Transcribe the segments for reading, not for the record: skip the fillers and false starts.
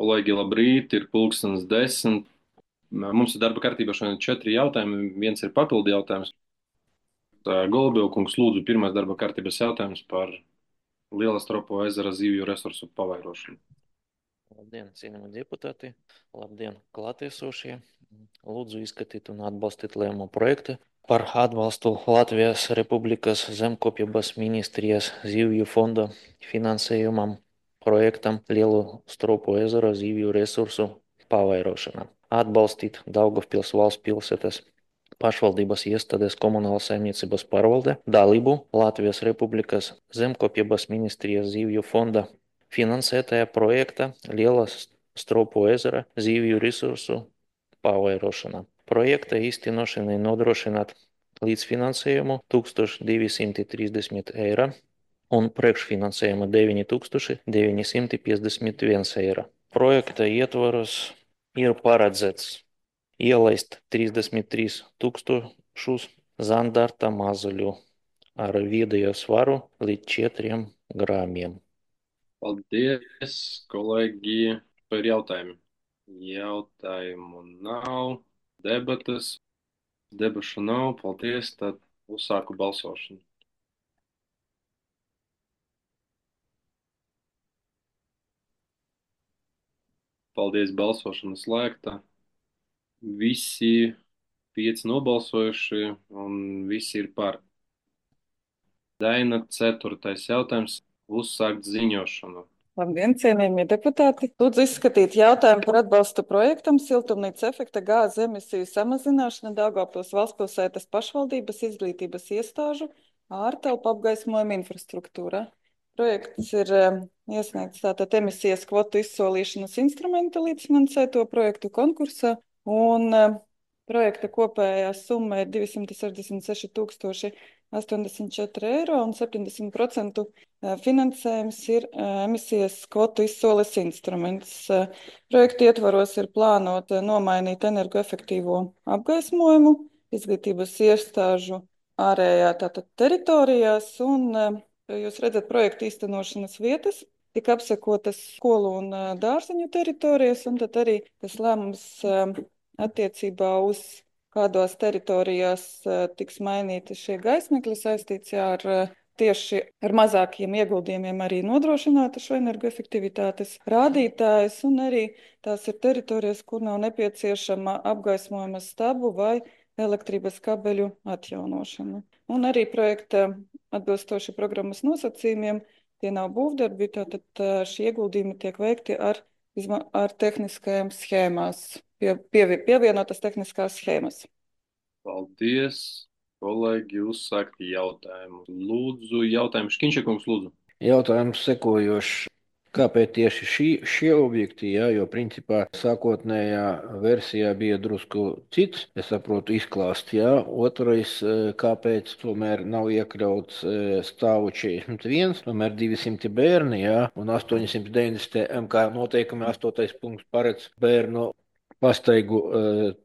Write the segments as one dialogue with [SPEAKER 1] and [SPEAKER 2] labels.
[SPEAKER 1] Kolēģi, labrīt, ir pulkstens 10. Mums ir darba kārtībā šodien 4 jautājumi. Viens ir papildu jautājums. Golubovkungs, lūdzu, pirmais darba kārtības jautājums par Lielastropo ezera zivju resursu pavairošanu.
[SPEAKER 2] Labdien, cienījami deputāti! Labdien, klātiesošie! Lūdzu izskatīt un atbalstīt lēmumu projektu par atbalstu Latvijas Republikas zemkopības ministrijas zivju fonda finansējumam projektam Lielastropo ezera zivju resursu pavairošana. Atbalstīt Daugavpils valsts pilsētas pašvaldības iestādes komunālas saimniecības pārvalde dalību Latvijas Republikas zemkopības ministrijas zivju fonda finansētajā projekta Lielastropo ezera zivju resursu pavairošana. Projekta īstenošanai nodrošināt līdzfinansējumu 1230 eiro un priekšfinansējumu 9951 eiro. Projekta ietvaros ir paredzēts ielaist 33 tūkstošus zandarta mazuļu ar vidējo svaru līdz 4 gramiem.
[SPEAKER 1] Paldies, kolēģi, par jautājumiem. Jautājumu nav, debatas, debašu nav, paldies, tad uzsāku balsošanu. Paldies, balsošana slēgta. Visi 5 nobalsojuši un visi ir par. Daina, 4. jautājums, uzsākt ziņošanu.
[SPEAKER 3] Labdien, cienījamie deputāti! Lūdzu izskatīt jautājumu par atbalstu projektam Siltumnīca efekta gāzes emisiju samazināšana Daugavpils valstspilsētas pašvaldības izglītības iestāžu ārtelpu apgaismojuma infrastruktūrā. Projekts ir iesniegts tātad emisijas kvotu izsolīšanas instrumenta līdzfinansēto projektu konkursā, un projekta kopējā summa ir 266 084 eiro un 70% finansējums ir emisijas kvotu izsoles instruments. Projekta ietvaros ir plānota nomainīt energoefektīvo apgaismojumu izglītības iestāžu ārējā tātad teritorijās, un jūs redzat projektu īstenošanas vietas, tika apsekotas skolu un dārziņu teritorijas, un tad arī tas lēmums attiecībā uz kādos teritorijās tiks mainīti šie gaismekļi saistīts ar tieši ar mazākiem ieguldījumiem arī nodrošināta šo energoefektivitātes rādītājs, un arī tās ir teritorijas, kur nav nepieciešama apgaismojuma stabu vai elektrības kabeļu atjaunošana. Un arī projekta atbilstoši programmas nosacījumiem, tie nav būvdarbi, tātad šie ieguldījumi tiek veikti ar tehniskajām schēmās. Pievienotas tehniskās schēmas.
[SPEAKER 1] Paldies, kolēģi, uzsākt jautājumu. Lūdzu, jautājumu Škinčakungs, lūdzu.
[SPEAKER 4] Jautājums sekojošs. Kāpēc tieši šie objekti, jo principā sākotnējā versijā bija drusku cits, es saprotu, izklāsts, Otrais, kāpēc tomēr nav iekļauts stāvu 41, tomēr 200 bērni, un 890 MK noteikumi 8. punkts paredz bērnu pastaigu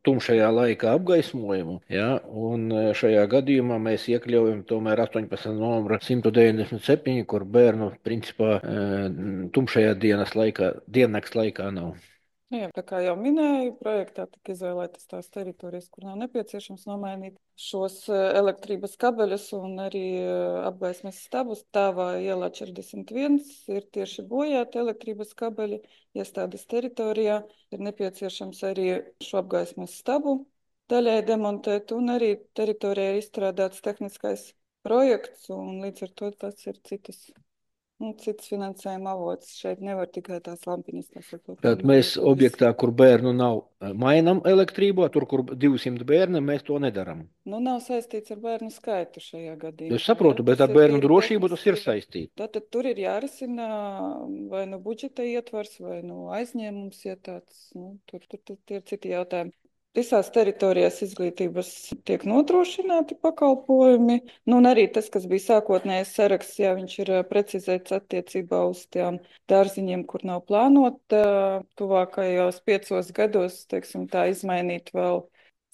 [SPEAKER 4] tumšajā laikā apgaismojumu, un šajā gadījumā mēs iekļaujam tomēr 18. numuru 197, kur bērnu principā tumšajā diennakts laikā nav.
[SPEAKER 3] Jā, tā kā jau minēju, projektā tika izvēlētas tās teritorijas, kur nav nepieciešams nomainīt šos elektrības kabeļus un arī apgaismes stabus. Tāvā ielā 41 ir tieši bojāti elektrības kabeļi. Iestādes teritorijā ir nepieciešams arī šo apgaismes stabu daļai demontēt, un arī teritorijā ir izstrādāts tehniskais projekts, un līdz ar to tas ir cits finansējuma avots. Šeit nevar tikai tās lampiņas.
[SPEAKER 4] Tātad mēs objektā, kur bērnu nav, mainam elektrību, tur, kur 200 bērni, mēs to nedaram.
[SPEAKER 3] Nav saistīts ar bērnu skaitu šajā gadījumā.
[SPEAKER 4] Es saprotu, bet ar bērnu drošību tas ir saistīts.
[SPEAKER 3] Tātad tur ir jārisina vai nu budžeta ietvars, vai nu aizņēmums, ja tāds, tur ir citi jautājumi. Visās teritorijās izglītības tiek nodrošināti pakalpojumi, un arī tas, kas bija sākotnējais saraksts, viņš ir precizēts attiecībā uz tiem dārziņiem, kur nav plānota tuvākajos 5 gados, teiksim, tā izmainīt vēl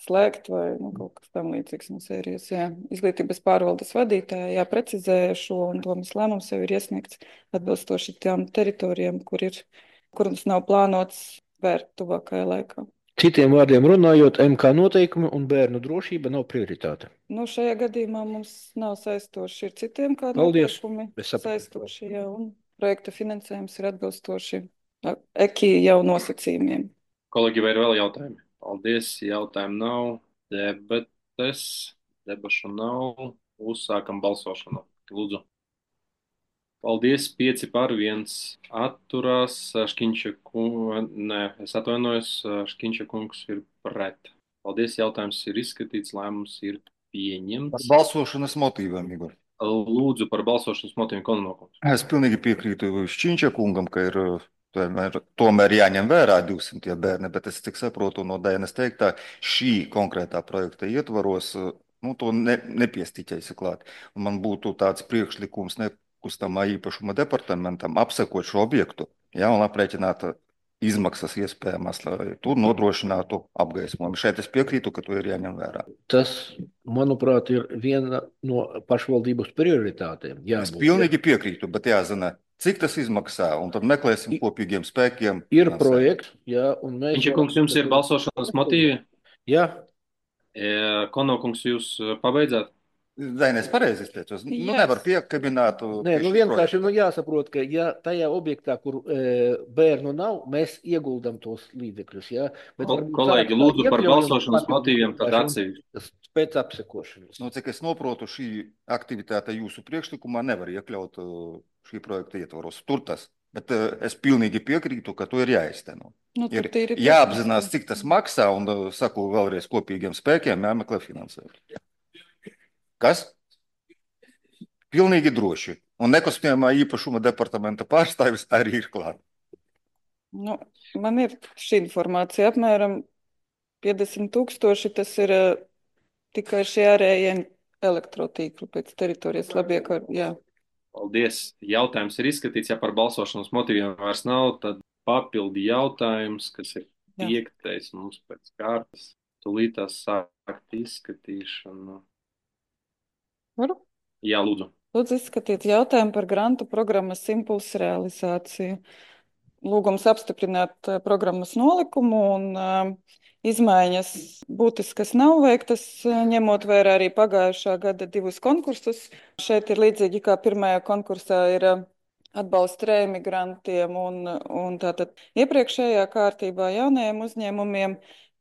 [SPEAKER 3] slēgt vai kaut kas tam līdzīgs no sērijas. Izglītības pārvaldes vadītāja precizēja šo, un domas lēmums jau ir iesniegts atbilstoši tām teritorijām, kur ir kuras nav plānotas vērt tuvākajā laikā.
[SPEAKER 4] Citiem vārdiem runājot, MK noteikumi un bērnu drošība nav prioritāte.
[SPEAKER 3] Nu, šajā gadījumā mums nav saistoši, ir citiem kādi
[SPEAKER 4] Paldies.
[SPEAKER 3] noteikumi
[SPEAKER 4] Es sapratu.
[SPEAKER 3] saistoši, jā, un projekta finansējums ir atbilstoši EKI jau nosacījumiem.
[SPEAKER 1] Kolēģi, vai ir vēl jautājumi? Paldies, jautājumu nav. Debašu nav. Uzsākam balsošanu. Lūdzu. Paldies, 5 par 1 atturās. Škiņša kungs, es atvainojos, Škiņša kungs ir pret. Paldies, jautājums ir izskatīts, lēmums ir
[SPEAKER 5] Par
[SPEAKER 1] pieņemts.
[SPEAKER 5] balsošanas motīviem, Igor.
[SPEAKER 1] Lūdzu par balsošanas motīviem Kononokums.
[SPEAKER 5] Es pilnīgi piekrītu Šķiņča kungam, ka ir tomēr jāņem vērā 200 bērni, bet es cik saprotu no Dainas teiktā, šī konkrētā projekta ietvaros, to nepiestiķēsi klāt. Un man būtu tāds priekšlikums nekustamā īpašuma departamentam apsekot šo objektu, un aprēķināt izmaksas iespējamās, lai tur nodrošinātu apgaismojumu. Šeit es piekrītu, ka to ir jāņem vērā.
[SPEAKER 4] Tas, manuprāt, ir viena no pašvaldības prioritātēm.
[SPEAKER 5] Es pilnīgi piekrītu, bet jāzina, cik tas izmaksā, un tad meklēsim kopīgiem spēkiem.
[SPEAKER 4] Ir projekts, un mēs...
[SPEAKER 1] Škiņša kungs, jums ir balsošanas motīvi?
[SPEAKER 4] Jā.
[SPEAKER 1] Kononokums, jūs pabeidzāt?
[SPEAKER 5] Dainēs pareizi izteicos. Nevar piekabināt.
[SPEAKER 4] Nē, vienkārši jāsaprot, ka ja tajā objektā, kur bērnu nav, mēs ieguldam tos līdzekļus.
[SPEAKER 1] Kolēģi, lūdzu par balsošanas motīviem tad atsevišķi.
[SPEAKER 4] Pēc apsekošanas.
[SPEAKER 5] Cik es noprotu, šī aktivitāte jūsu priekšlikumā nevar iekļaut šī projekta ietvaros. Tur tas. Bet es pilnīgi piekrītu, ka to ir jāizteno. Ir jāapzinās, cik tas maksā, un saku vēlreiz kopīgiem spēkiem jāmeklē finansēt. Kas? Pilnīgi droši. Un nekustamā īpašuma departamenta pārstāvis arī ir klāt.
[SPEAKER 3] Man ir šī informācija apmēram 50,000. Tas ir tikai šie ārējie elektrotīkli pēc teritorijas jā.
[SPEAKER 1] Paldies. Jautājums ir izskatīts. Ja par balsošanas motīviem vairs nav, tad papildi jautājums, kas ir 5. mums pēc kārtas. Tūlītās sākt izskatīšanu.
[SPEAKER 3] Varu?
[SPEAKER 1] Jā, lūdzu.
[SPEAKER 3] Lūdzu izskatīt jautājumu par grantu programmas impulsu realizāciju. Lūgums apstiprināt programmas nolikumu un izmaiņas būtiskas nav veiktas, ņemot vērā arī pagājušā gada 2 konkursus. Šeit ir līdzīgi kā pirmajā konkursā ir atbalsts reemigrantiem un tātad iepriekšējā kārtībā jaunajiem uzņēmumiem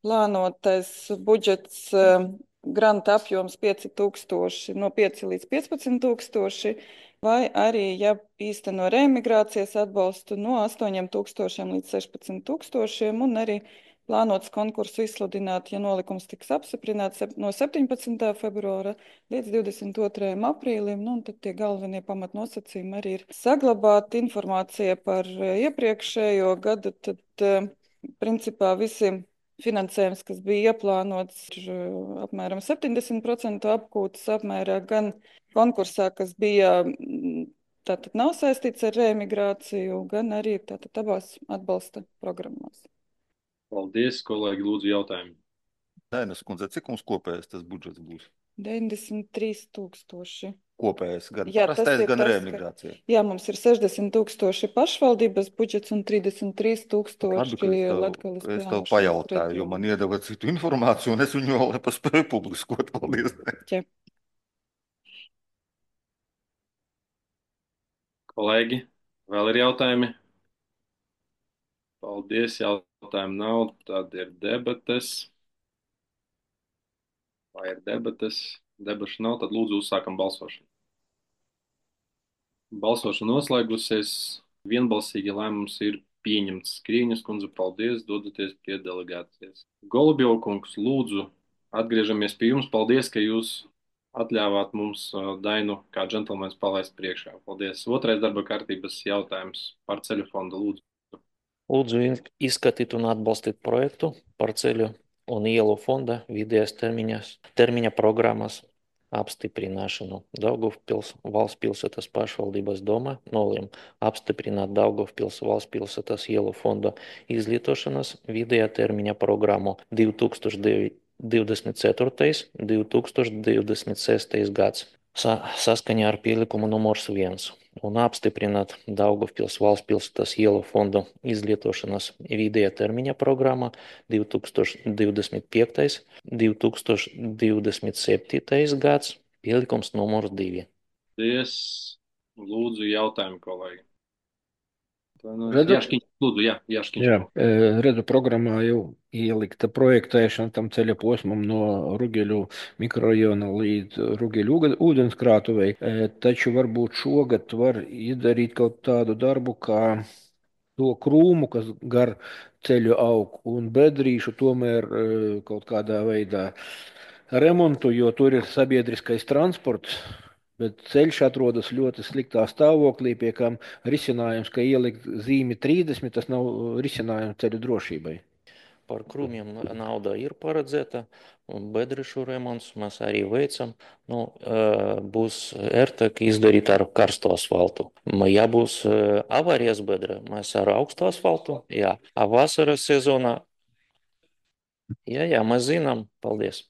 [SPEAKER 3] plānotais budžets granta apjoms 5,000 no 5 līdz 15,000, vai arī, ja īsteno reemigrācijas atbalstu no 8,000 līdz 16,000, un arī plānots konkursu izsludināt, ja nolikums tiks apstiprināts no 17. februāra līdz 22. aprīlim, un tad tie galvenie pamatnosacījumi arī ir saglabāt informācija par iepriekšējo gadu, tad principā visi finansējums, kas bija ieplānots, ir apmēram 70% apgūtas apmērā, gan konkursā, kas bija tātad nav saistīts ar reemigrāciju, gan arī tātad abās atbalsta programmās.
[SPEAKER 1] Paldies, kolēģi, lūdzu jautājumu.
[SPEAKER 5] Dainas kundze, cik mums kopējais tas budžets būs?
[SPEAKER 3] 93,000.
[SPEAKER 5] Kopējais, gan parastais, gan reemigrācija.
[SPEAKER 3] Jā, mums ir 60,000 pašvaldības budžets un 33,000 Latgales.
[SPEAKER 5] Es tev pajautāju, jo man iedeva citu informāciju, un es viņu vēl nepaspēju publiskot. Paldies.
[SPEAKER 3] Jā.
[SPEAKER 1] Kolēģi, vēl ir jautājumi? Paldies, jautājumu nav, tad ir debates. Vai ir debates? Debašu nav, tad lūdzu uzsākam balsošanu. Balsošana noslēgusies, vienbalsīgi lēmums ir pieņemts. Skrieņas kundze, paldies, dodaties pie delegācijas. Golubjov kungs, lūdzu, atgriežamies pie jums. Paldies, ka jūs atļāvāt mums Dainu kā džentlmenis palaist priekšā. Paldies. 2. darba kārtības jautājums par ceļu fondu, lūdzu.
[SPEAKER 2] Lūdzu izskatīt un atbalstīt projektu par ceļu un ielu fonda vidējās termiņa programmas apstiprināšanu. Daugavpils valsts pilsētas pašvaldības doma nolēma apstiprināt Daugavpils valsts pilsētas ielu fonda izlietošanas vidējā termiņa programmu 2024. 2026. gads. saskaņā ar pielikumu numurs 1 un apstiprināt Daugavpils valsts pilsētas ielu fondu izlietošanas vidējā termiņa programmā 2025. 2027. gads, pielikums numurs 2.
[SPEAKER 1] Paldies. Lūdzu, jautājumu, kolēģi.
[SPEAKER 4] Redzu,
[SPEAKER 1] Jaškiņš, lūdzu, Jaškiņš.
[SPEAKER 4] jā, redzu, programmā jau ielikta projektēšana tam ceļa posmam no Rugeļu mikrorajona līdz Rugeļu ūdenskrātuvei. Taču varbūt šogad var izdarīt kaut tādu darbu, kā to krūmu, kas gar ceļu aug, un bedrīšu tomēr kaut kādā veidā remontu, jo tur ir sabiedriskais transports. Bet ceļš atrodas ļoti sliktā stāvoklī, pie kam risinājums, ka ielikt zīmi 30, tas nav risinājums ceļu drošībai.
[SPEAKER 2] Par krūmiem nauda ir paredzēta, un bedrišu remonts mēs arī veicam. Būs ērtāk izdarīt ar karstu asfaltu. Ja būs avārijas bedra, mēs ar augstu asfaltu, jā. A vasaras sezonā, jā, mēs zinām. Paldies.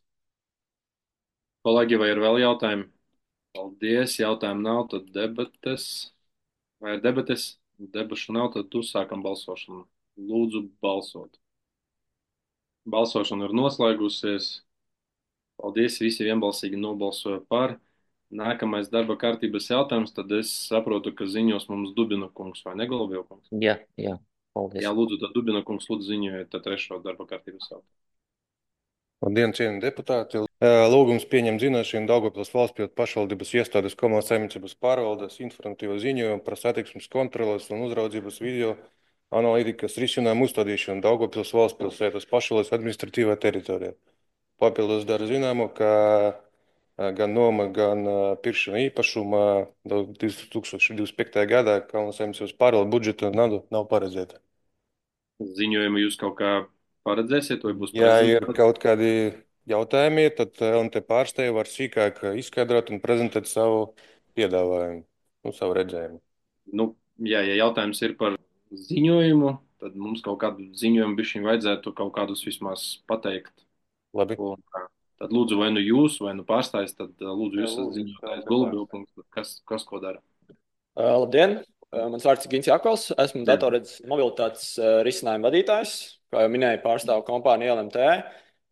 [SPEAKER 1] Kolēģi, vai ir vēl jautājumi? Paldies, jautājumu nav, tad debates. Vai ir debates? Debašu nav, tad uzsākam balsošanu. Lūdzu, balsot. Balsošana ir noslēgusies. Paldies, visi vienbalsīgi nobalsoja par. Nākamais darba kārtības jautājums, tad es saprotu, ka ziņos mums Dubina kungs vai Negolbiev kungs.
[SPEAKER 2] Jā, paldies.
[SPEAKER 1] Jā, lūdzu, tad Dubina kungs lūdzu ziņojiet trešo darba kārtības jautājumu.
[SPEAKER 6] Labdien, cienījamie deputāti! Lūgums pieņemt zināšanai Daugavpils valsts pašvaldības iestādes komunālās saimniecības pārvaldes informatīvo ziņojumu par satiksmes kontroles un uzraudzības video analītikas risinājumu uzstādīšanu Daugavpils valsts pilsētas pašvaldības administratīvā teritorijā. Papildus dara zināmu, ka gan noma, gan pirkšana īpašuma 2025. gadā komunālās saimniecības pārvaldes budžeta nav paredzēta.
[SPEAKER 1] Ziņojumu jūs kaut kā paredzēsiet, vai būs
[SPEAKER 6] Ja ir
[SPEAKER 1] prezentācija?
[SPEAKER 6] kaut kādi jautājumi, tad LNT pārstāvji var sīkāk izskaidrot un prezentēt savu piedāvājumu, savu redzējumu.
[SPEAKER 1] Ja jautājums ir par ziņojumu, tad mums kaut kādu ziņojumu bišķiņ vajadzētu kaut kādus vismaz pateikt.
[SPEAKER 6] Labi.
[SPEAKER 1] Un, tad lūdzu, vai nu jūs, vai nu pārstājas, tad lūdzu jūs
[SPEAKER 6] Jā, lūdzu,
[SPEAKER 1] ziņotājs
[SPEAKER 6] tā
[SPEAKER 1] Golubilkungs, kas ko dara.
[SPEAKER 7] Labdien! Mans vārds ir Gins Jakovs. Esmu datorredzes mobilitātes risinājumu vadītājs, kā jau minēju, pārstāvu kompāniju LMT.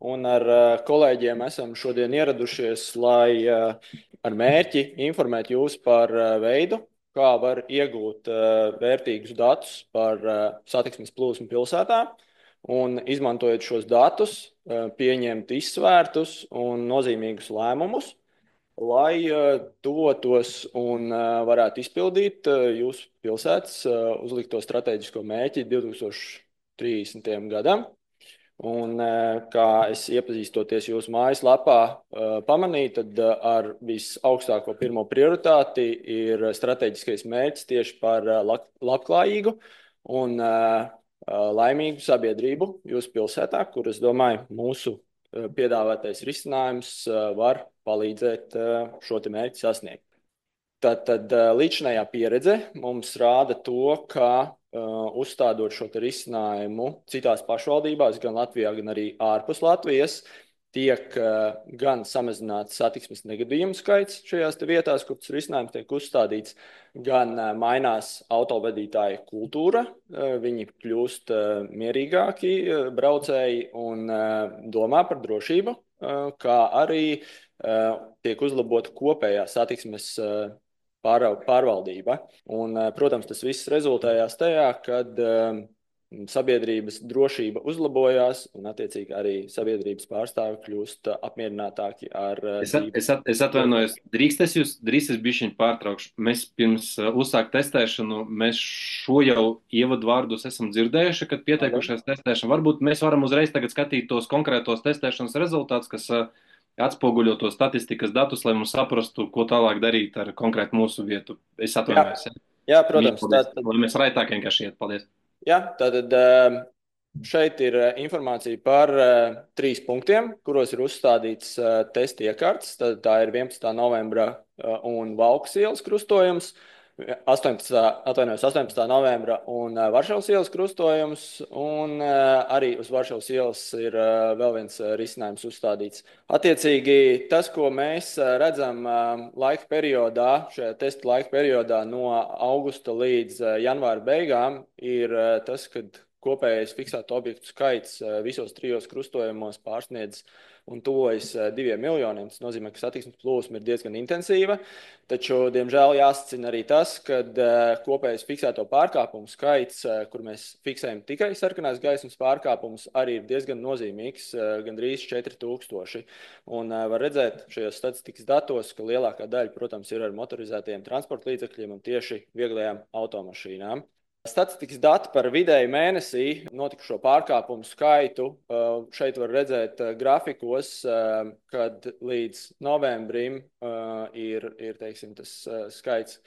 [SPEAKER 7] Un ar kolēģiem esam šodien ieradušies, lai ar mērķi informēt jūs par veidu, kā var iegūt vērtīgus datus par satiksmes plūsmu pilsētā. Un izmantojot šos datus, pieņemt izsvērtus un nozīmīgus lēmumus, lai tuvotos un varētu izpildīt jūsu pilsētas uzlikto strateģisko mērķi 2030. gadam. Un, kā es iepazīstoties jūsu mājaslapā pamanīju, tad ar visaugstāko pirmo prioritāti ir strateģiskais mērķis tieši par labklājīgu un laimīgu sabiedrību jūsu pilsētā, kur, es domāju, mūsu piedāvātais risinājums var palīdzēt šo te mērķi sasniegt. Tad līdzinājā pieredze mums rāda to, ka uzstādot šo te risinājumu citās pašvaldībās, gan Latvijā, gan arī ārpus Latvijas, tiek gan samazināts satiksmes negadījumu skaits šajās te vietās, kur tas risinājums tiek uzstādīts, gan mainās autovadītāju kultūra, viņi kļūst mierīgāki braucēji un domā par drošību, kā arī tiek uzlabota kopējā satiksmes pārvaldība. Un, protams, tas viss rezultējās tajā, kad sabiedrības drošība uzlabojās un, attiecīgi, arī sabiedrības pārstāvi kļūst apmierinātāki ar dzīvi.
[SPEAKER 1] Es atvainojos, drīkst es bišķiņ pārtraukšu. Mēs pirms uzsākt testēšanu, mēs šo jau ievadvārdus esam dzirdējuši, kad pieteikušies testēšanu. Varbūt mēs varam uzreiz tagad skatīt tos konkrētos testēšanas rezultātus, kas atspoguļo to statistikas datus, lai mums saprastu, ko tālāk darīt ar konkrētu mūsu vietu. Es atvainojos.
[SPEAKER 7] Jā, protams.
[SPEAKER 1] Lai mēs raitāk vienkārši iet. Paldies.
[SPEAKER 7] Jā, tātad šeit ir informācija par 3 punktiem, kuros ir uzstādīts testa iekārts. Tā ir 11. novembra un Valkas ielas krustojums. 18. novembra un Varšavas ielas krustojums, un arī uz Varšavas ielas ir vēl viens risinājums uzstādīts. Attiecīgi, tas, ko mēs redzam laika periodā, šajā testa laika periodā no augusta līdz janvāra beigām, ir tas, kad kopējais fiksēto objektu skaits visos trijos krustojumos pārsniedz un tuvojas 2 miljoniem. Tas nozīmē, ka satiksmes plūsma ir diezgan intensīva, taču, diemžēl, jāsacina arī tas, ka kopējais fiksēto pārkāpumu skaits, kur mēs fiksējam tikai sarkanās gaismas pārkāpumus, arī ir diezgan nozīmīgs, gandrīz 4000. Un var redzēt šajos statistikas datos, ka lielākā daļa, protams, ir ar motorizētajiem transporta līdzekļiem un tieši vieglajām automašīnām. Statistikas dati par vidēju mēnesī notikušo pārkāpumu skaitu šeit var redzēt grafikos, kad līdz novembrim ir teiksim, tas skaits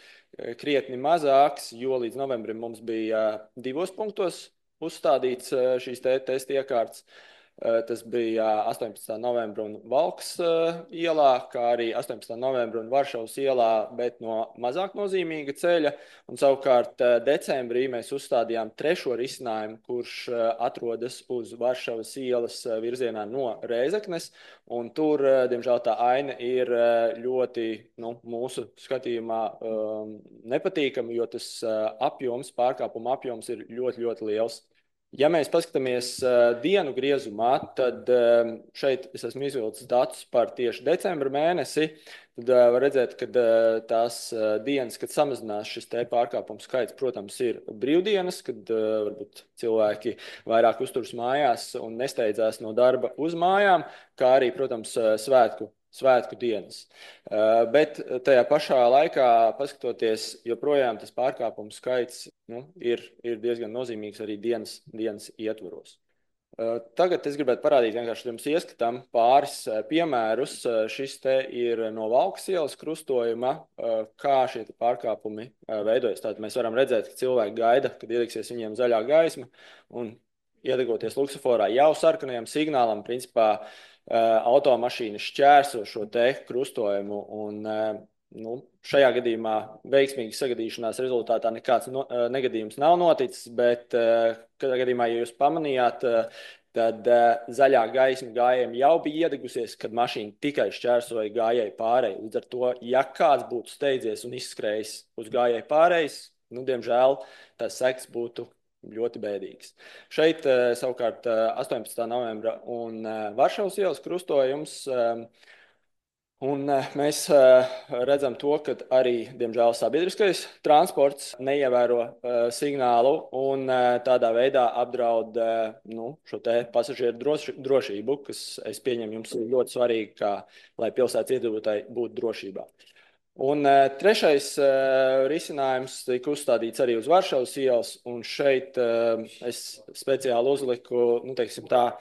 [SPEAKER 7] krietni mazāks, jo līdz novembrim mums bija 2 punktos uzstādīts šīs testa iekārtas. Tas bija 18. novembra un Valkas ielā, kā arī 18. novembra un Varšavas ielā, bet no mazāk nozīmīga ceļa. Un savukārt decembrī mēs uzstādījām 3. risinājumu, kurš atrodas uz Varšavas ielas virzienā no Rēzeknes. Un tur, diemžēl, tā aina ir ļoti, mūsu skatījumā nepatīkama, jo tas pārkāpuma apjoms ir ļoti, ļoti liels. Ja mēs paskatāmies dienu griezumā, tad šeit es esmu izvilcis datus par tieši decembra mēnesi, tad var redzēt, ka tās dienas, kad samazinās šis pārkāpumu skaits, protams, ir brīvdienas, kad varbūt cilvēki vairāk uzturas mājās un nesteidzās no darba uz mājām, kā arī, protams, svētku dienas. Bet tajā pašā laikā, paskatoties, joprojām tas pārkāpumu skaits ir diezgan nozīmīgs arī dienas ietvaros. Tagad es gribētu parādīt vienkārši jums ieskatām pāris piemērus. Šis te ir no Valkas ielas krustojuma, kā šie pārkāpumi veidojas. Tātad mēs varam redzēt, ka cilvēki gaida, kad iedegsies viņiem zaļā gaisma, un iedegoties luksusforā jau sarkanajam signālam, principā automašīna šķērso šo te krustojumu, un šajā gadījumā veiksmīgi sagadīšanās rezultātā nekāds negadījums nav noticis, bet kādā gadījumā, ja jūs pamanījāt, tad zaļā gaisma gājējiem jau bija iedegusies, kad mašīna tikai šķērsoja gājēju pārēju. Līdz ar to, ja kāds būtu steidzies un izskrējis uz gājēju pārējas, diemžēl tās sekas būtu ļoti bēdīgs. Šeit savukārt 18. novembra un Varšavas ielas krustojums, un mēs redzam to, ka arī, diemžēl, sabiedriskais transports neievēro signālu un tādā veidā apdraud šo te pasažieru drošību, kas, es pieņemu, jums ir ļoti svarīgi, lai pilsētas iedzīvotāji būtu drošībā. Un 3. risinājums tika uzstādīts arī uz Varšavas ielas, un šeit es speciāli uzliku, teiksim tā,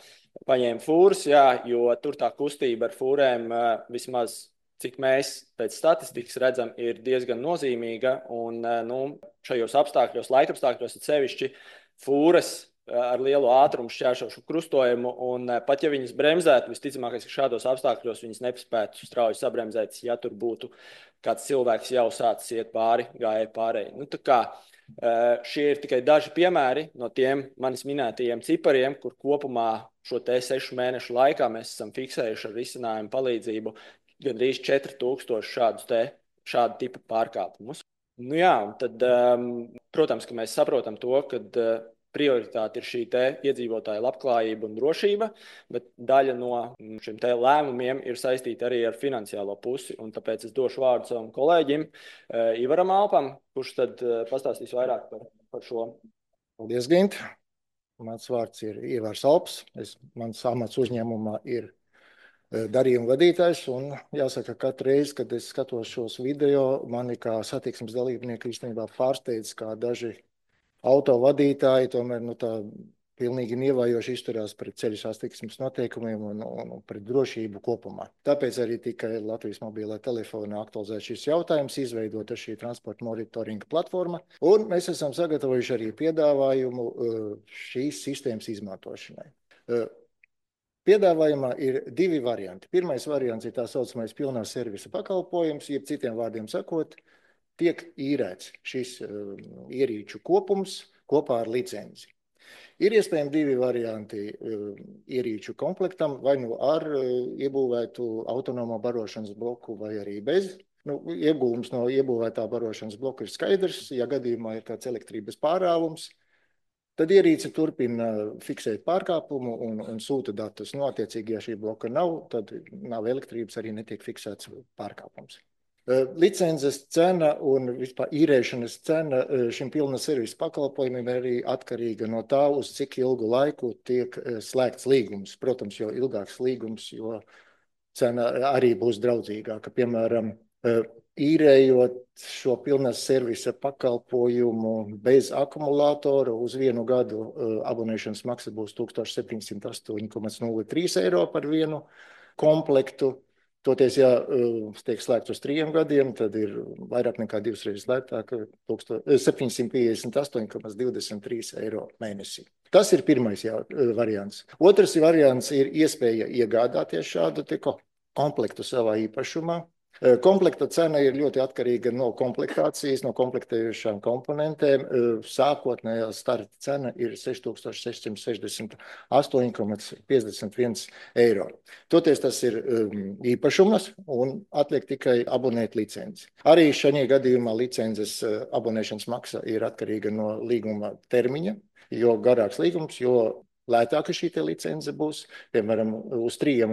[SPEAKER 7] paņēmu fūras, jo tur tā kustība ar fūrēm vismaz, cik mēs pēc statistikas redzam, ir diezgan nozīmīga, un šajos apstākļos, laikapstākļos ir sevišķi fūras ar lielu ātrumu šķēršošu krustojumu, un pat ja viņas bremzētu, visticamākais, ka šādos apstākļos viņas nespētu strauji sabremzēt, ja tur būtu kāds cilvēks jau sācis iet pāri gājēju pārēji. Tā kā šie ir tikai daži piemēri no tiem manis minētajiem cipariem, kur kopumā šo te 6 mēnešu laikā mēs esam fiksējuši ar risinājumu palīdzību gandrīz 4000 šādu tipu pārkāpumus. Tad, protams, ka mēs saprotam to, ka prioritāte ir šī te iedzīvotāja labklājība un drošība, bet daļa no šiem te lēmumiem ir saistīta arī ar finansiālo pusi, un tāpēc es došu vārdu savam kolēģim Ivaram Alpam, kurš tad pastāstīs vairāk par šo.
[SPEAKER 8] Paldies, Gint. Mans vārds ir Ivars Alps. Mans amats uzņēmumā ir darījuma vadītājs, un jāsaka, katru reizi, kad es skatos šos video, mani kā satiksmes dalībnieki īstenībā pārsteidz, kā daži autovadītāji tomēr tā pilnīgi nievajoši izturās pret ceļu satiksmes noteikumiem un pret drošību kopumā. Tāpēc arī tika Latvijas mobilā telefonā aktualizēts šis jautājums, izveidota šī transporta monitoringa platforma, un mēs esam sagatavojuši arī piedāvājumu šīs sistēmas izmantošanai. Piedāvājumā ir 2 varianti. Pirmais variants ir tā saucamais pilnā servisa pakalpojums, jeb citiem vārdiem sakot, tiek īrēts šis ierīču kopums kopā ar licenci. Ir iespējami divi varianti ierīču komplektam, vai nu ar iebūvētu autonomo barošanas bloku, vai arī bez. Iegūms no iebūvētā barošanas bloka ir skaidrs. Ja gadījumā ir kāds elektrības pārāvums, tad ierīce turpina fiksēt pārkāpumu un sūta datus. Attiecīgi, ja šī bloka nav, tad nav elektrības, arī netiek fiksēts pārkāpums. Licences cena un vispār īrēšanas cena šim pilna servisa pakalpojumiem ir arī atkarīga no tā, uz cik ilgu laiku tiek slēgts līgums. Protams, jo ilgāks līgums, jo cena arī būs draudzīgāka. Piemēram, īrējot šo pilnas servisa pakalpojumu bez akumulātora uz 1 gadu abonēšanas maksa būs 1708,03 eiro par vienu komplektu. Toties, ja tiek slēgts uz 3 gadiem, tad ir vairāk nekā 2 reizes lētāk, 758,23 eiro mēnesī. Tas ir pirmais variants. Otrs variants ir iespēja iegādāties šādu komplektu savā īpašumā. Komplekta cena ir ļoti atkarīga no komplektācijas, no komplektējušām komponentēm. Sākotnējā starta cena ir 6668,51 eiro. Toties tas ir īpašums un atliek tikai abonēt licenci. Arī šajā gadījumā licences abonēšanas maksa ir atkarīga no līguma termiņa. Jo garāks līgums, jo lētāka šī licence būs. Piemēram, uz 3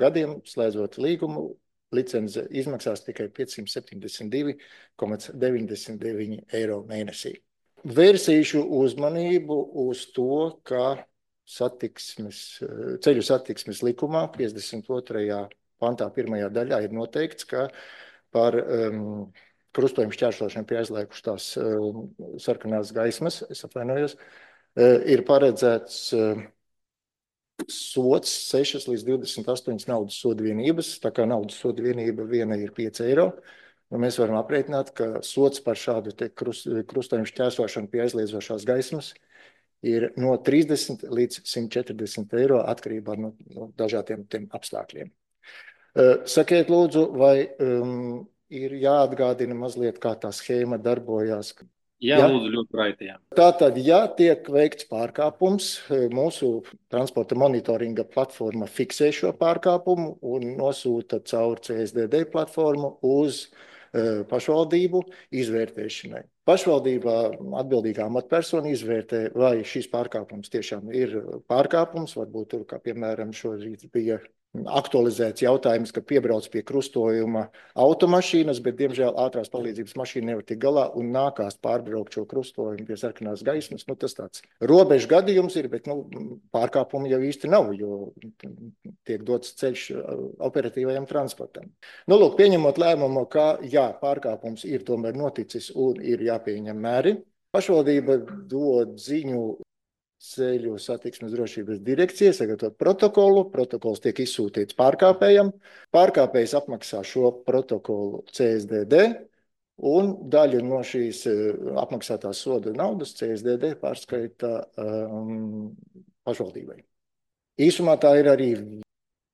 [SPEAKER 8] gadiem slēdzot līgumu, licence izmaksās tikai 572,99 eiro mēnesī. Vērsīšu uzmanību uz to, ka ceļu satiksmes likumā 52. pantā 1. daļā ir noteikts, ka par krustojumu šķērsošanu pie aizliekušās sarkanās gaismas, es atvainojos, ir paredzēts sots 6 līdz 28 naudas soda vienības, tā kā naudas soda vienība viena ir 5 eiro. Mēs varam aprēķināt, ka sots par šādu krustojumu šķērsošanu pie aizliedzošās gaismas ir no 30 līdz 140 eiro atkarībā no dažādiem apstākļiem. Sakiet lūdzu, vai ir jāatgādina mazliet, kā tā schēma darbojās?
[SPEAKER 1] Jā, lūdzu, ļoti raiti.
[SPEAKER 8] Tātad, ja tiek veikts pārkāpums, mūsu transporta monitoringa platforma fiksē šo pārkāpumu un nosūta caur CSDD platformu uz pašvaldību izvērtēšanai. Pašvaldībā atbildīgā amatpersona izvērtē, vai šis pārkāpums tiešām ir pārkāpums, varbūt tur, kā piemēram šorīt bija aktualizēts jautājums, ka piebrauc pie krustojuma automašīnas, bet, diemžēl, ātrās palīdzības mašīna nevar tik galā un nākās pārbraukt šo krustojumu pie sarkanās gaismas. Tas tāds robežu gadījums ir, bet pārkāpumu jau īsti nav, jo tiek dots ceļš operatīvajam transportam. Lūk, pieņemot lēmumu, ka pārkāpums ir tomēr noticis un ir jāpieņem mēri, pašvaldība dod ziņu Ceļu satiksmes drošības direkcija, sagatavot protokolu. Protokols tiek izsūtīts pārkāpējam. Pārkāpējs apmaksā šo protokolu CSDD un daļu no šīs apmaksātās soda naudas CSDD pārskaita pašvaldībai. Īsumā tā ir arī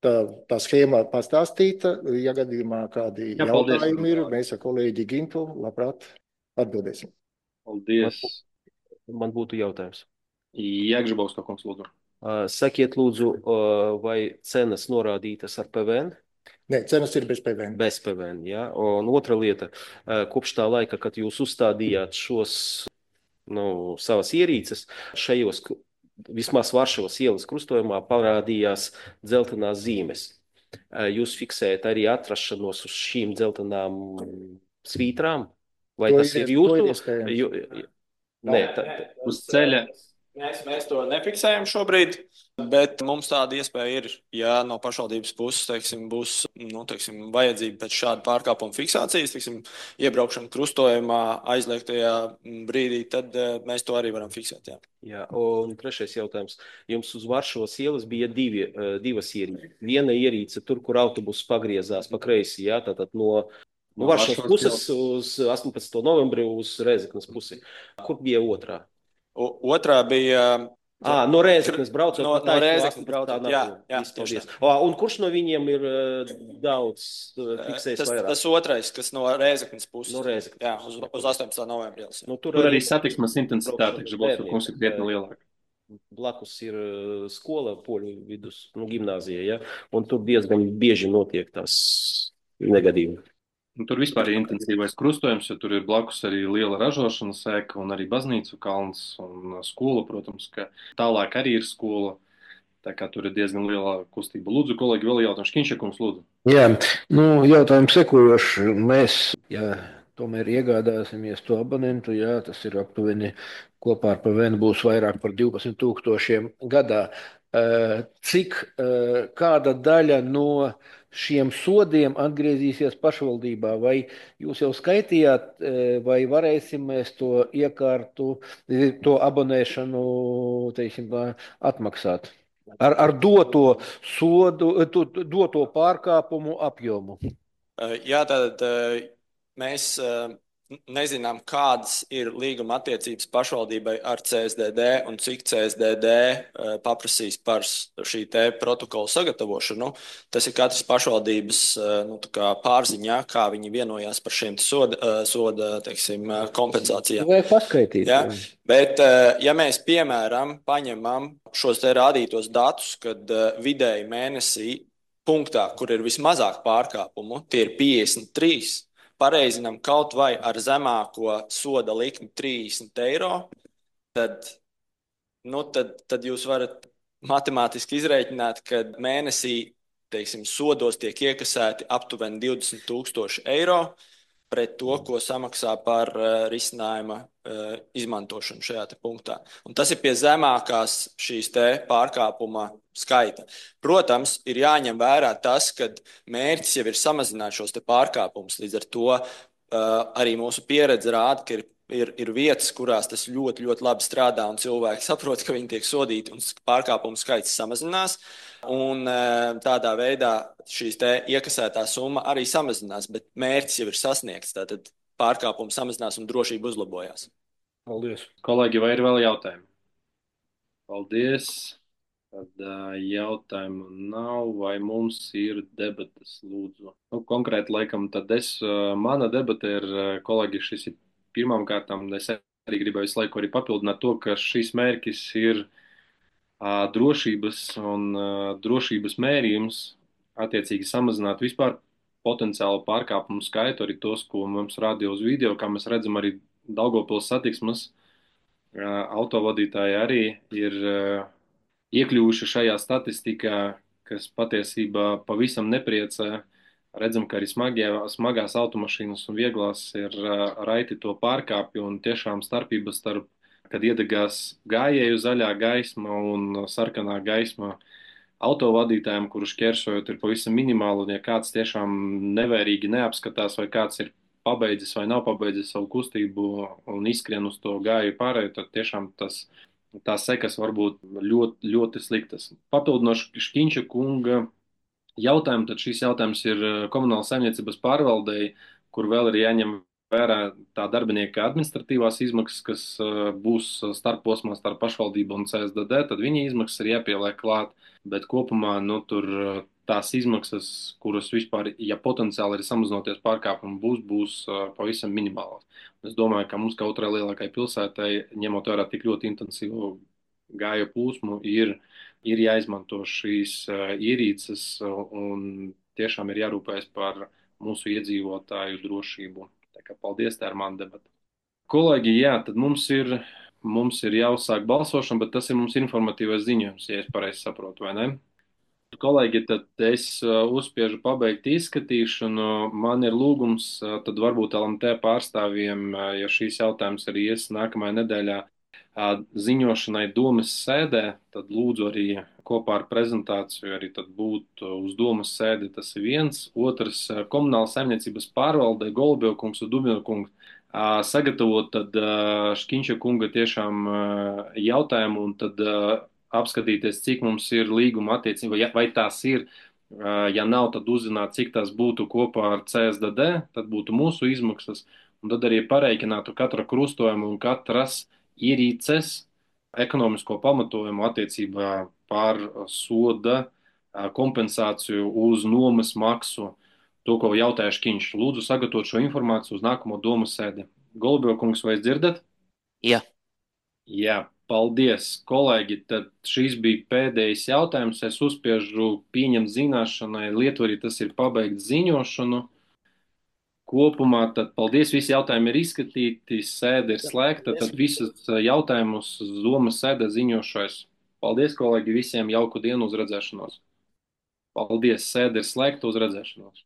[SPEAKER 8] tā schēma pastāstīta. Ja gadījumā kādi jautājumi ir, mēs ar kolēģi Gintu labprāt atbildēsim.
[SPEAKER 1] Paldies.
[SPEAKER 9] Man būtu jautājums.
[SPEAKER 1] Jāgžibovska kungs, lūdzu.
[SPEAKER 9] Sakiet, lūdzu, vai cenas norādītas ar PVN?
[SPEAKER 8] Nē, cenas ir bez PVN.
[SPEAKER 9] Bez PVN, jā. Un otra lieta, kopš tā laika, kad jūs uzstādījāt šos savas ierīces, šajos, vismaz Varšavas ielas krustojumā parādījās dzeltenās zīmes. Jūs fiksējat arī atrašanos uz šīm dzeltenām svītrām? Vai tas ir jūsu?
[SPEAKER 1] Nē, uz ceļa.
[SPEAKER 7] Mēs to nefiksējam šobrīd, bet mums tāda iespēja ir, ja no pašvaldības puses, būs vajadzība pēc šāda pārkāpuma fiksācijas, iebraukšana krustojumā aizliegtajā brīdī, tad mēs to arī varam fiksēt.
[SPEAKER 9] Jā, un trešais jautājums. Jums uz Varšavas ielas bija divas ierīces. Viena ierīce tur, kur autobus pagriezās pa kreisi, jā, tātad no Varšavas puses uz 18. novembri uz Rēzeknes pusi. Kur bija otrā?
[SPEAKER 7] Otrā bija
[SPEAKER 9] No Rēzeknes braucot
[SPEAKER 7] No
[SPEAKER 9] pa taisno
[SPEAKER 7] Rēzeknes
[SPEAKER 9] aku
[SPEAKER 7] braucot,
[SPEAKER 9] tā
[SPEAKER 7] jā,
[SPEAKER 9] nākamā.
[SPEAKER 7] jā,
[SPEAKER 9] Viss,
[SPEAKER 7] tieši
[SPEAKER 9] paldies. Un kurš no viņiem ir daudz fiksējis vairāk?
[SPEAKER 7] Tas otrais, kas no Rēzeknes puses.
[SPEAKER 9] No Rēzeknes.
[SPEAKER 7] Jā, uz 18. novembrī.
[SPEAKER 1] Tur arī satiksmes intensitāte,
[SPEAKER 9] braukšana
[SPEAKER 1] Žabovska
[SPEAKER 9] bērniem,
[SPEAKER 1] kungs, ir krietni lielāka.
[SPEAKER 9] Blakus ir skola, poļu vidus, gimnāzija, ja? Un tur diezgan bieži notiek tās negadījumi.
[SPEAKER 1] Tur vispār ir intensīvais krustojums, jo tur ir blakus arī liela ražošanas ēka un arī baznīcu kalns un skola, protams, ka tālāk arī ir skola. Tā kā tur ir diezgan liela kustība. Lūdzu, kolēģi, vēl jautājumu. Škiņšakums, lūdzu.
[SPEAKER 4] Jā, jautājums sekojoši. Mēs, tomēr iegādāsimies to abonentu, tas ir aptuveni kopā ar PVN būs vairāk par 12,000 gadā. Kāda daļa no šiem sodiem atgriezīsies pašvaldībā? Vai jūs jau skaitījāt, vai varēsim mēs to iekārtu, to abonēšanu, teiksim, atmaksāt? Ar doto sodu, doto pārkāpumu apjomu.
[SPEAKER 7] Jā, tad mēs nezinām, kādas ir līguma attiecības pašvaldībai ar CSDD un cik CSDD paprasīs par šī te protokola sagatavošanu. Tas ir katras pašvaldības pārziņā, kā viņi vienojās par šiem soda teiksim, kompensācijām.
[SPEAKER 4] Vajag paskaitīt.
[SPEAKER 7] Ja? Bet, ja mēs, piemēram, paņemam šos te rādītos datus, kad vidēji mēnesī punktā, kur ir vismazāk pārkāpumu, tie ir 53, pareizinām kaut vai ar zemāko soda likmi 30 eiro, tad jūs varat matemātiski izrēķināt, ka mēnesī, teiksim, sodos tiek iekasēti aptuveni 20,000 eiro pret to, ko samaksā par risinājuma izmantošanu šajā te punktā. Un tas ir pie zemākās šīs te pārkāpuma skaita. Protams, ir jāņem vērā tas, ka mērķis jau ir samazināt šos te pārkāpumus. Līdz ar to arī mūsu pieredze rāda, ka ir vietas, kurās tas ļoti, ļoti labi strādā un cilvēki saprot, ka viņi tiek sodīti un pārkāpumu skaits samazinās. Un tādā veidā šīs te iekasētā summa arī samazinās, bet mērķis jau ir sasniegts. Tātad pārkāpumu samazinās un drošība uzlabojās.
[SPEAKER 1] Paldies. Kolēģi, vai ir vēl jautājumi? Paldies. Tad jautājumu nav, vai mums ir debatas, lūdzu. Konkrēti, laikam, tad mana debata ir, kolēģi, šis ir pirmām kārtām, es arī gribēju visu laiku arī papildināt to, ka šis mērķis ir drošības un drošības mērījums attiecīgi samazināt vispār potenciālu pārkāpumu skaitu, arī tos, ko mums rādīja uz video, kā mēs redzam arī Daugavpils satiksmes autovadītāji arī ir iekļuvuši šajā statistikā, kas patiesībā pavisam nepriecē. Redzam, ka arī smagās automašīnas un vieglās ir raiti to pārkāpju un tiešām starpības starp, kad iedegās gājēju zaļā gaisma un sarkanā gaisma autovadītājiem, kurus šķērsojot, ir pavisam minimāli, un ja kāds tiešām nevērīgi neapskatās, vai kāds ir pabeidzis vai nav pabeidzis savu kustību un izskrien uz to gāju pārēju, tad tiešām tās sekas var būt ļoti, ļoti sliktas. Papildinoši Škiņša kunga jautājumu, tad šis jautājums ir komunālas saimniecības pārvaldei, kur vēl ir jāņem vērā tā darbinieka administratīvās izmaksas, kas būs starposmā starp pašvaldību un CSDD, tad viņa izmaksas ir jāpieliek klāt, bet kopumā, tur tās izmaksas, kuras vispār, ja potenciāli ir samazinoties pārkāpumu, būs pavisam minimālas. Es domāju, ka mums, kā otrai lielākai pilsētai, ņemot vērā tik ļoti intensīvu gāju plūsmu, ir jāizmanto šīs ierīces un tiešām ir jārūpējas par mūsu iedzīvotāju drošību. Tā kā paldies, tā ir mana debata. Kolēģi, jā, tad mums ir jāuzsāk balsošana, bet tas ir mums informatīvais ziņojums, ja es pareizi saprotu, vai ne? Kolēģi, tad es uzspiežu pabeigt izskatīšanu. Man ir lūgums, tad varbūt LMT pārstāvjiem, ja šīs jautājums arī ies nākamajā nedēļā ziņošanai domas sēdē, tad lūdzu arī kopā ar prezentāciju arī tad būt uz domas sēdi, tas ir viens. Otrs, komunāla saimniecības pārvalde, Golubevkungs un Dubņokungs sagatavot tad Škiņša kunga tiešām jautājumu un tad apskatīties, cik mums ir līguma attiecība, vai tās ir, ja nav, tad uzzināt, cik tās būtu kopā ar CSDD, tad būtu mūsu izmaksas, un tad arī pareiķinātu katra krustojuma un katras ierīces ekonomisko pamatojumu attiecībā par soda kompensāciju uz nomas maksu. To, ko jautāja Škiņš. Lūdzu sagatavot šo informāciju uz nākamo domu sēdi. Golubjokungs, vai dzirdat?
[SPEAKER 2] Jā.
[SPEAKER 1] Jā, paldies, kolēģi. Tad šis bija pēdējais jautājums. Es uzspiežu pieņemt zināšanai. Lietuvā tas ir pabeigts ziņošanu. Kopumā tad paldies, visi jautājumi ir izskatīti, sēde ir slēgta, tad visus jautājumus domas sēde ziņošais. Paldies, kolēģi, visiem jauku dienu uz redzēšanos. Paldies, sēde ir slēgta uz redzēšanos.